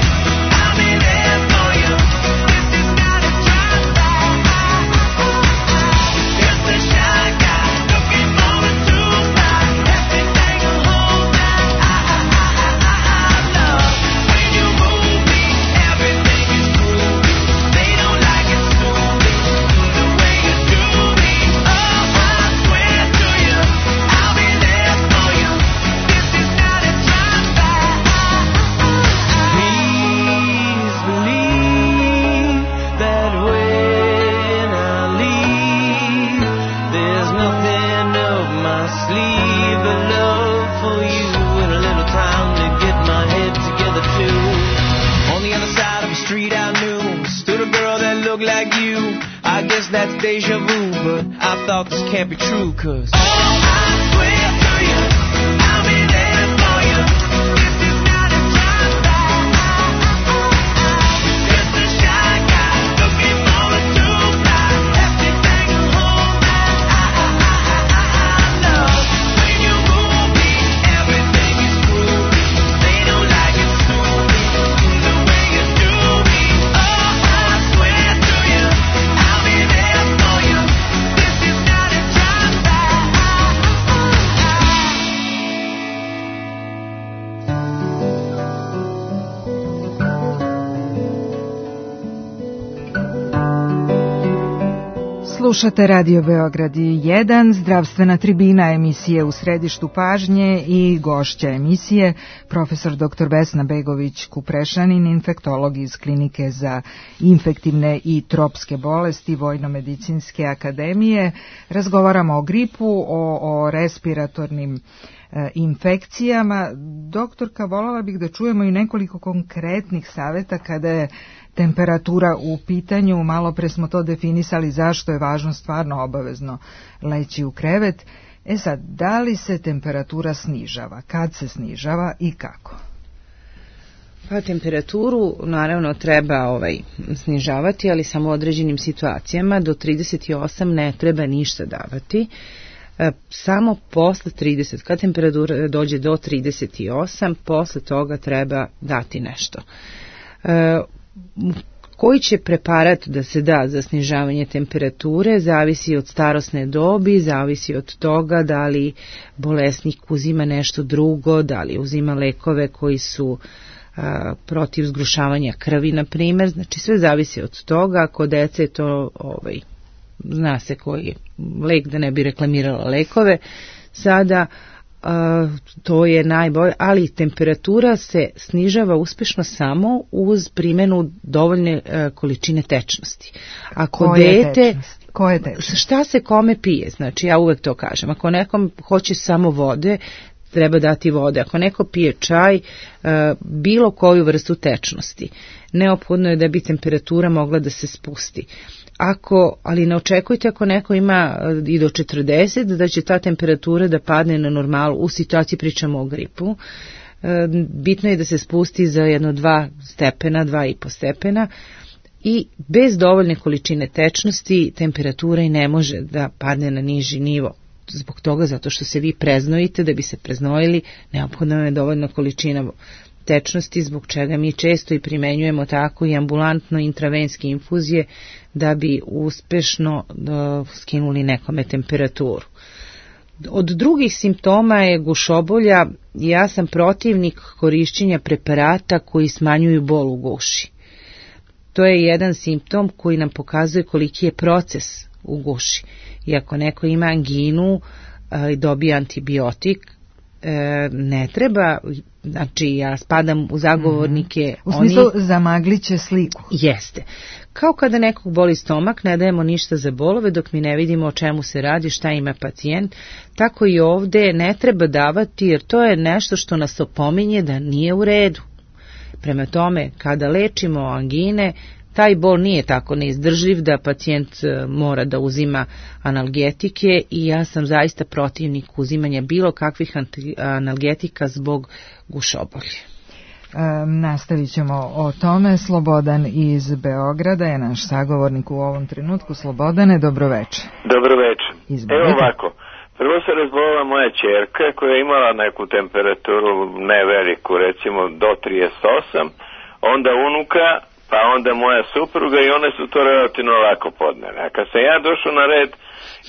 I'll be there for you. This is not a drive-by. Just a shy guy looking for a two-fly. Everything will hold that I love. When you move me, everything is groovy. They don't like it soon-y, the way you do me. Oh, I swear to you, I'll be there for you. This is not a drive-by. Please believe that when I leave, there's nothing up my sleeve but love for you and a little time to get my head together too. On the other side of the street I knew stood a girl that looked like you. I guess that's deja vu, but I thought this can't be true, 'cause oh, I swear to you, I'll be there for you. This is not a drive-by. Just a shy guy looking for a two-fly. Everything will hold that I love. When you move me, everything is groovy. They don't like it soon-y, the way you do me. Oh, I swear to you, I'll be there for you. This is not a drive-by. Slušate Radio Beograd 1, zdravstvena tribina emisije U središtu pažnje i gošća emisije, profesor dr. Vesna Begović-Kuprešanin, infektolog iz Klinike za infektivne i tropske bolesti Vojno-medicinske akademije. Razgovaramo o gripu, o respiratornim infekcijama. Doktorka, voljela bih da čujemo i nekoliko konkretnih savjeta kada je temperatura u pitanju. Malo pre smo to definisali zašto je važno stvarno obavezno leći u krevet. Sad, da li se temperatura snižava? Kad se snižava i kako? Pa temperaturu naravno treba snižavati, ali samo u određenim situacijama. Do 38 ne treba ništa davati. Samo posle 30, kad temperatura dođe do 38, posle toga treba dati nešto. Koji će preparat da se da za snižavanje temperature zavisi od starosne dobi, zavisi od toga da li bolesnik uzima nešto drugo, da li uzima lekove koji su protiv zgrušavanja krvi, na primjer. Znači sve zavisi od toga. Kod dece je to zna se koji je lek, da ne bi reklamirala lekove sada, to je najbolje, ali temperatura se snižava uspješno samo uz primjenu dovoljne količine tečnosti. Ako Koje tečnosti? Šta se kome pije, znači ja uvek to kažem, ako nekom hoće samo vode, treba dati vode. Ako neko pije čaj, bilo koju vrstu tečnosti, neophodno je da bi temperatura mogla da se spusti. Ali ne očekujte ako neko ima i do 40 da će ta temperatura da padne na normalu. U situaciji pričamo o gripu. Bitno je da se spusti za 2 stepena, 2,5 stepena i bez dovoljne količine tečnosti temperatura i ne može da padne na niži nivo. Zbog toga, zato što se vi preznojite, da bi se preznojili, neophodno je dovoljna količina tečnosti, zbog čega mi često i primenjujemo tako i ambulantno intravenske infuzije da bi uspešno skinuli nekome temperaturu. Od drugih simptoma je gušobolja. Ja sam protivnik korišćenja preparata koji smanjuju bol u guši. To je jedan simptom koji nam pokazuje koliki je proces u guši. I ako neko ima anginu i dobije antibiotik, ne treba, znači ja spadam u zagovornike. U smislu zamaglit će sliku. Jeste. Kao kada nekog boli stomak, ne dajemo ništa za bolove dok mi ne vidimo o čemu se radi, šta ima pacijent, tako i ovdje ne treba davati, jer to je nešto što nas opominje da nije u redu. Prema tome, kada lečimo angine, taj bol nije tako neizdržljiv da pacijent mora da uzima analgetike i ja sam zaista protivnik uzimanja bilo kakvih analgetika zbog gušobolje. Nastavit ćemo o tome. Slobodan iz Beograda je naš sagovornik u ovom trenutku. Slobodane, dobroveče. Dobroveče. Evo ovako, prvo se razbolila moja ćerka koja je imala neku temperaturu ne veliku, recimo do 38, onda unuka, pa onda moja supruga i one su to relativno lako podnele. A kad sam ja došao na red,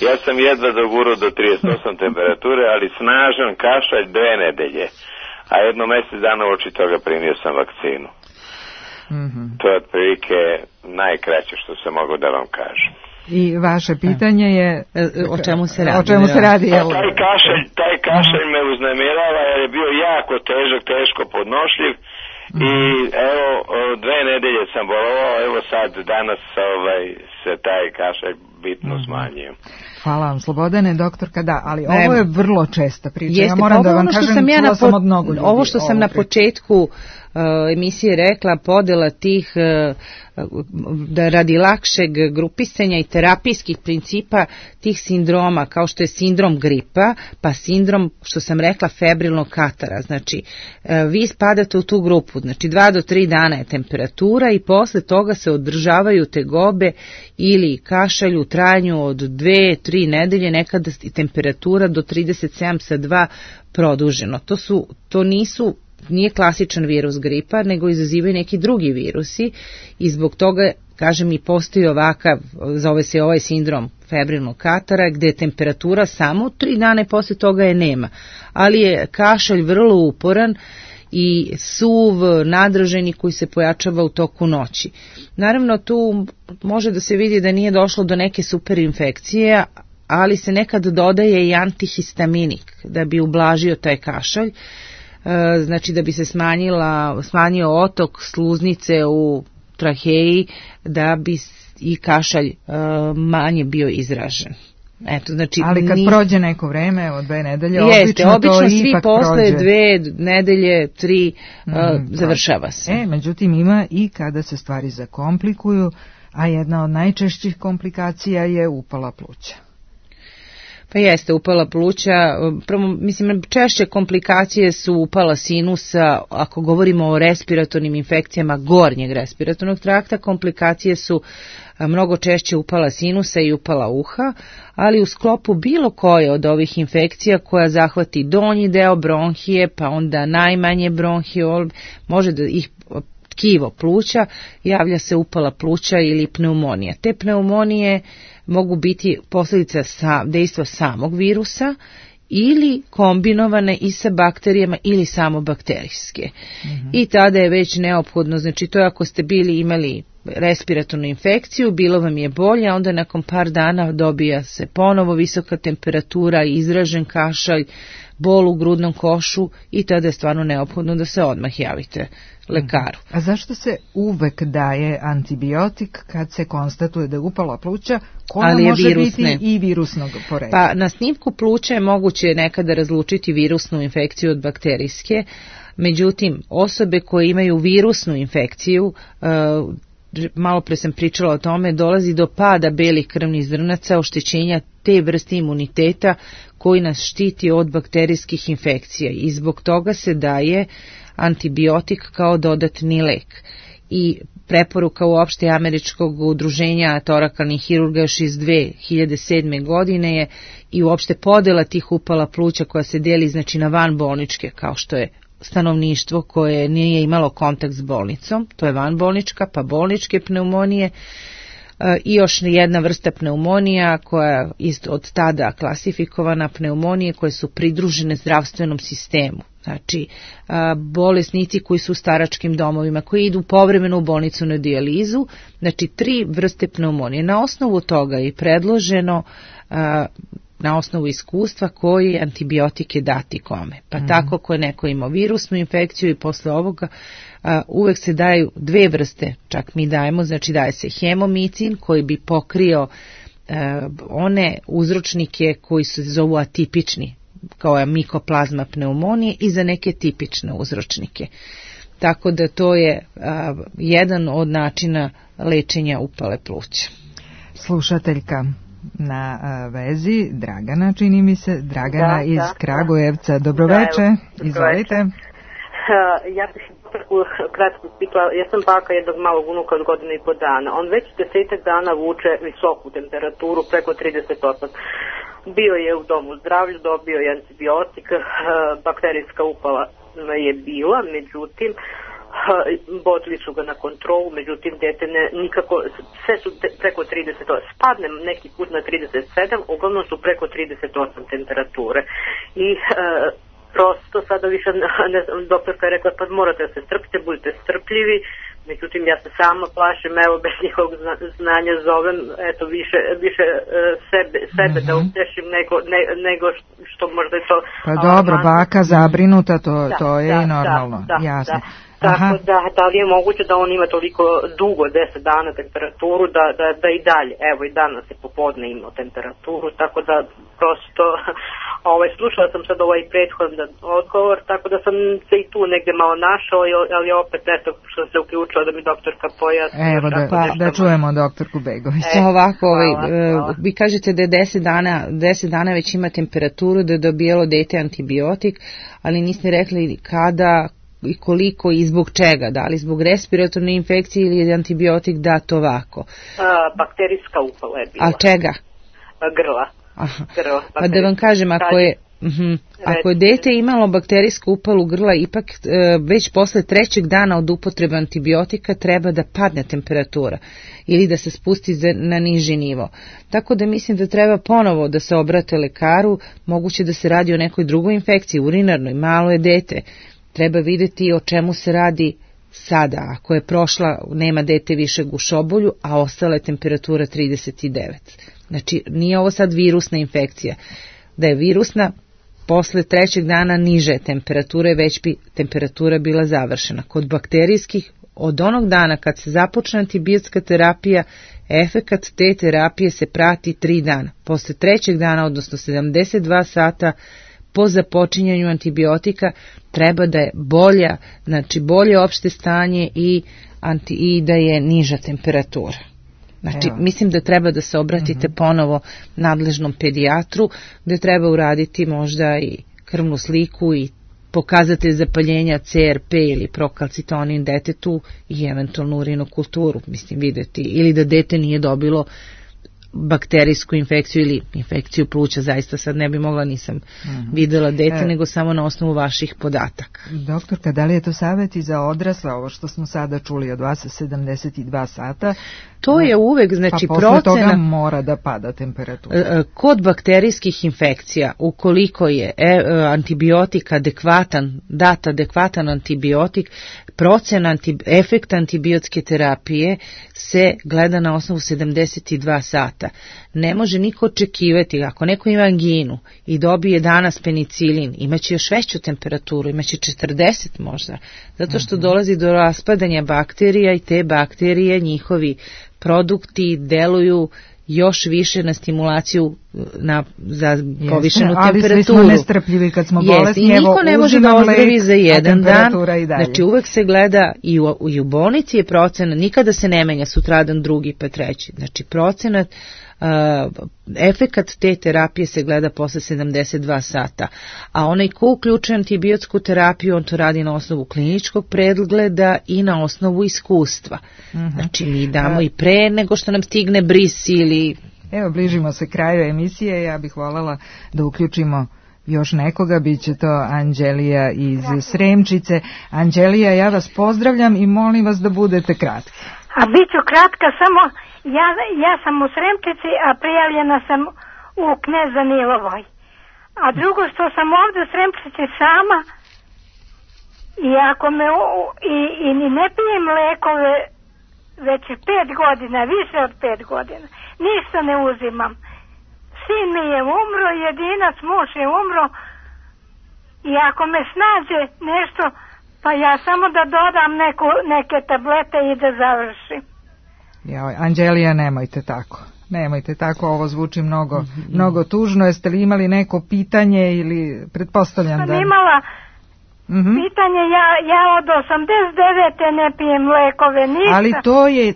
ja sam jedva dogurao do 38 temperature, ali snažan kašalj 2 nedelje. A jedno mjesec dana oči toga primio sam vakcinu. To je otprilike najkraće što sam mogao da vam kažem. I vaše pitanje je o čemu se radi? O čemu se radi? Taj kašalj me uznemirava jer je bio jako težak, teško podnošljiv. I evo 2 nedelje sam bolovao, evo sad danas se taj kašalj bitno smanjio. Hvala vam, Slobodane. Doktorka, da, ali ovo je vrlo česta priča. Ja moram da vam kažem, čula sam od mnogo ljudi. Ovo što sam na početku emisije rekla, podela tih da radi lakšeg grupisanja i terapijskih principa tih sindroma, kao što je sindrom gripa, pa sindrom, što sam rekla, febrilnog katara. Znači, vi spadate u tu grupu, znači 2 do 3 dana je temperatura i posle toga se održavaju tegobe ili kašalj u trajanju od 2-3 nedelje, nekada i temperatura do 37 sa 2 produženo. Nije klasičan virus gripa, nego izazivaju neki drugi virusi i zbog toga, kažem, i postoji ovakav, zove se ovaj sindrom febrilnog katara, gdje je temperatura samo 3 dana i posle toga je nema. Ali je kašalj vrlo uporan i suv, nadraženi koji se pojačava u toku noći. Naravno, tu može da se vidi da nije došlo do neke superinfekcije, ali se nekad dodaje i antihistaminik da bi ublažio taj kašalj, znači da bi se smanjio otok sluznice u traheji, da bi i kašalj manje bio izražen. Eto, znači, ali kad prođe neko vreme, od 2 nedelje, obično svi posle 2 nedelje, 3 završava se. Međutim, ima i kada se stvari zakomplikuju, a jedna od najčešćih komplikacija je upala pluća. Pa jeste, upala pluća, mislim, češće komplikacije su upala sinusa, ako govorimo o respiratornim infekcijama gornjeg respiratornog trakta, komplikacije su mnogo češće upala sinusa i upala uha, ali u sklopu bilo koje od ovih infekcija koja zahvati donji deo bronhije, pa onda najmanje bronhiol, može da ih tkivo pluća, javlja se upala pluća ili pneumonija. Te pneumonije mogu biti posljedica dejstva samog virusa ili kombinovane i sa bakterijama ili samo bakterijske. I tada je već neophodno, znači to je ako ste imali respiratornu infekciju, bilo vam je bolje, a onda nakon par dana dobija se ponovo visoka temperatura, izražen kašalj, bol u grudnom košu i tada je stvarno neophodno da se odmah javite lekaru. A zašto se uvek daje antibiotik kad se konstatuje da je upala pluća, koja može biti i virusnog porekla? Pa na snimku pluća je moguće nekada razlučiti virusnu infekciju od bakterijske, međutim osobe koje imaju virusnu infekciju, malo pre sam pričala o tome, dolazi do pada belih krvnih zrnaca, oštećenja te vrste imuniteta koji nas štiti od bakterijskih infekcija i zbog toga se daje antibiotik kao dodatni lek. I preporuka uopšte Američkog udruženja torakalnih hirurga još iz 2007. godine je i uopšte podela tih upala pluća koja se deli znači na vanbolničke, kao što je stanovništvo koje nije imalo kontakt s bolnicom, to je vanbolnička, pa bolničke pneumonije i još jedna vrsta pneumonija koja je od tada klasifikovana pneumonije koje su pridružene zdravstvenom sistemu. Znači, bolesnici koji su u staračkim domovima, koji idu povremeno u bolnicu na dijalizu, znači 3 vrste pneumonije. Na osnovu toga je predloženo, na osnovu iskustva, koji antibiotike dati kome. Pa tako ako je neko imao virusnu infekciju i posle ovoga uvek se daju 2 vrste, čak mi dajemo, znači daje se hemomicin koji bi pokrio one uzročnike koji se zovu atipični, kao je mikoplazma pneumonije i za neke tipične uzročnike. Tako da to je jedan od načina lečenja upale pluća. Slušateljka na vezi, Dragana, čini mi se, Dragana iz Kragujevca. Dobroveče, izvolite. Ja bih kratko pitala, ja sam baka jednog malog unuka od 1.5 godina. On već 10 dana vuče visoku temperaturu, preko 38. Bio je u domu zdravlja, dobio je antibiotik, bakterijska upala je bila, međutim vodili su ga na kontrolu, međutim dete nikako, sve su preko 38, spadne neki put na 37, uglavnom su preko 38 temperature i prosto sada više, ne znam, doktorka je rekla pa morate da se strpite, budite strpljivi, međutim ja se sama plašim, evo bez njihovog znanja zovem, eto više sebe da utešim nego što možda je to... Pa dobro, baka zabrinuta, to je i normalno, jasno. Tako da li je moguće da on ima toliko dugo, 10 dana temperaturu, da i dalje, evo i danas je popodne imao temperaturu, tako da prosto, slušala sam sad ovaj prethodan odgovor, tako da sam se i tu negdje malo našao, ali opet eto što se uključila da mi doktorka pojasni. Evo da čujemo doktorku Begović. Ovako, vi kažete da je 10 dana već ima temperaturu, da je dobijelo dete antibiotik, ali niste rekli kada i koliko i zbog čega, da li zbog respiratorne infekcije ili je antibiotik dat ovako? Bakterijska upala je bila. A čega? Grla. Pa da vam kažem, ako je dete imalo bakterijsku upalu grla, ipak već posle 3. dana od upotrebe antibiotika treba da padne temperatura ili da se spusti na niži nivo. Tako da mislim da treba ponovo da se obrate lekaru, moguće da se radi o nekoj drugoj infekciji, urinarnoj, malo je dete. treba vidjeti o čemu se radi sada. Ako je prošla, nema dete više gušobolju, a ostala je temperatura 39. Znači, nije ovo sad virusna infekcija. Da je virusna, posle 3. dana niže temperature, već bi temperatura bila završena. Kod bakterijskih, od onog dana kad se započne antibiotska terapija, efekat te terapije se prati 3 dana. Posle 3. dana, odnosno 72 sata po započinjanju antibiotika, treba da je bolja, znači bolje opšte stanje i da je niža temperatura. Znači, mislim da treba da se obratite ponovo nadležnom pedijatru, gde treba uraditi možda i krvnu sliku i pokazatelj zapaljenja CRP ili prokalcitonin detetu i eventualno urinokulturu, mislim, videti, ili da dete nije dobilo bakterijsku infekciju ili infekciju pluća, zaista sad ne bi mogla, nisam videla dete, nego samo na osnovu vaših podataka. Doktorka, da li je to savjet i za odrasla, ovo što smo sada čuli od vas, 72 sata? To je uvek, znači, pa posle toga mora da pada temperatura. Kod bakterijskih infekcija, ukoliko je antibiotik adekvatan, dat adekvatan antibiotik, procena efekta antibiotske terapije se gleda na osnovu 72 sata. Ne može niko očekivati, ako neko ima anginu i dobije danas penicilin, imaće još veću temperaturu, imaće 40 možda, zato što dolazi do raspadanja bakterija i te bakterije, njihovi produkti deluju još više na stimulaciju za povišenu temperaturu. Ali svi smo nestrpljivi kad smo bolesni. I niko ne može da ozdravi za jedan dan. Znači uvek se gleda i u bolnici je procena, nikada se ne menja sutradan, drugi pa treći. Znači procenat, efekat te terapije se gleda posle 72 sata. A onaj ko uključuje antibiotsku terapiju, on to radi na osnovu kliničkog pregleda i na osnovu iskustva. Znači mi damo i pre nego što nam stigne bris ili... Evo, bližimo se kraju emisije, ja bih voljela da uključimo još nekoga, bit će to Anđelija iz Sremčice. Anđelija, ja vas pozdravljam i molim vas da budete kratki. A bit ću kratka, samo ja sam u Sremčici, a prijavljena sam u Knez Danilovoj. A drugo što sam ovdje u Sremčici sama i ako me i ne pijem lekove već 5 godina, više od 5 godina, ništa ne uzimam. Sin mi je umro, jedinac muž je umro i ako me snađe nešto, pa ja samo da dodam neke tablete i da završim. Anđelija, nemojte tako, ovo zvuči mnogo tužno. Jeste li imali neko pitanje ili pretpostavljam da... Imala pitanje, ja od 89. ne pijem lekove, ništa. Ali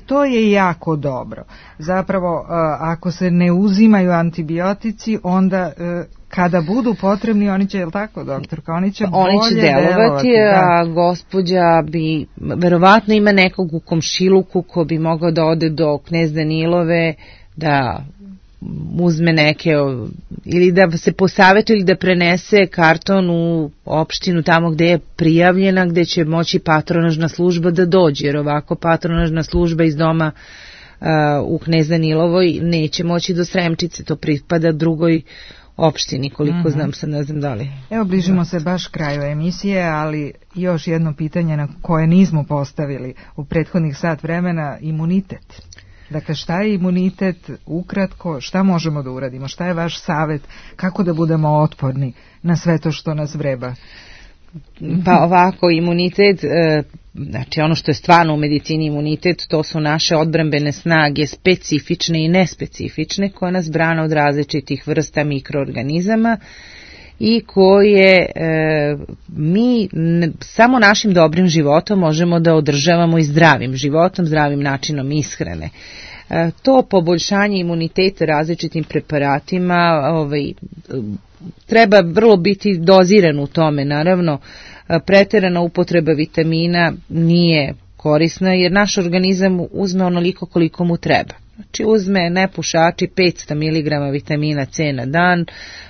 to je jako dobro. Zapravo, ako se ne uzimaju antibiotici, onda... Kada budu potrebni, oni će, je li tako, doktorka? Oni će delovati, a gospođa bi, verovatno ima nekog u komšiluku ko bi mogao da ode do Knez Danilove, da uzme neke, ili da se posavetuje ili da prenese karton u opštinu tamo gde je prijavljena, gde će moći patronažna služba da dođe, jer ovako patronažna služba iz doma u Knez Danilovoj neće moći do Sremčice, to pripada drugoj opštini, koliko znam, sad ne znam da li. Evo, bližimo se baš kraju emisije, ali još jedno pitanje na koje nismo postavili u prethodnih sat vremena, imunitet. Dakle, šta je imunitet, ukratko, šta možemo da uradimo, šta je vaš savjet, kako da budemo otporni na sve to što nas vreba? Pa ovako, imunitet, znači ono što je stvarno u medicini imunitet, to su naše odbrambene snage, specifične i nespecifične, koje nas brane od različitih vrsta mikroorganizama i koje mi samo našim dobrim životom možemo da održavamo i zdravim životom, zdravim načinom ishrane. To poboljšanje imuniteta različitim preparatima treba vrlo biti doziran u tome. Naravno, preterana upotreba vitamina nije korisna jer naš organizam uzme onoliko koliko mu treba. Znači uzme nepušači 500 mg vitamina C na dan,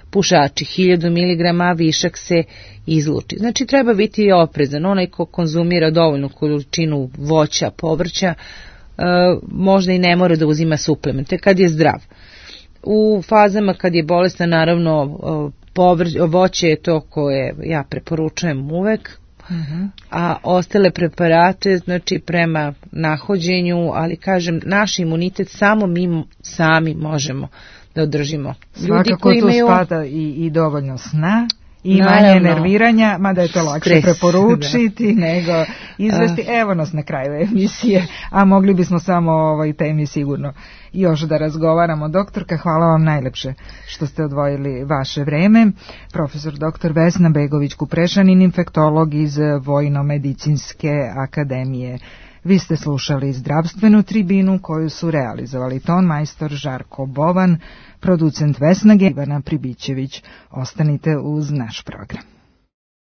pušači 1000 mg, a višak se izluči. Znači treba biti oprezan. Onaj ko konzumira dovoljnu količinu voća, povrća, možda i ne mora da uzima suplemente kad je zdrav. U fazama kad je bolestan, naravno, voće je to koje ja preporučujem uvek, a ostale preparate, znači prema nahođenju, ali kažem, naš imunitet samo mi sami možemo da održimo. Svakako tu spada i dovoljno sna, i manje nerviranja, mada je to lakše preporučiti nego izvesti. Evo nas na kraju emisije, a mogli bismo samo o ovoj temi sigurno još da razgovaramo. Doktorka, hvala vam najlepše što ste odvojili vaše vreme. Profesor dr. Vesna Begović-Kuprešanin, infektolog iz Vojno-medicinske akademije. Vi ste slušali zdravstvenu tribinu koju su realizovali ton majstor Žarko Bovan, producent Vesna Ivana Pribićević. Ostanite uz naš program.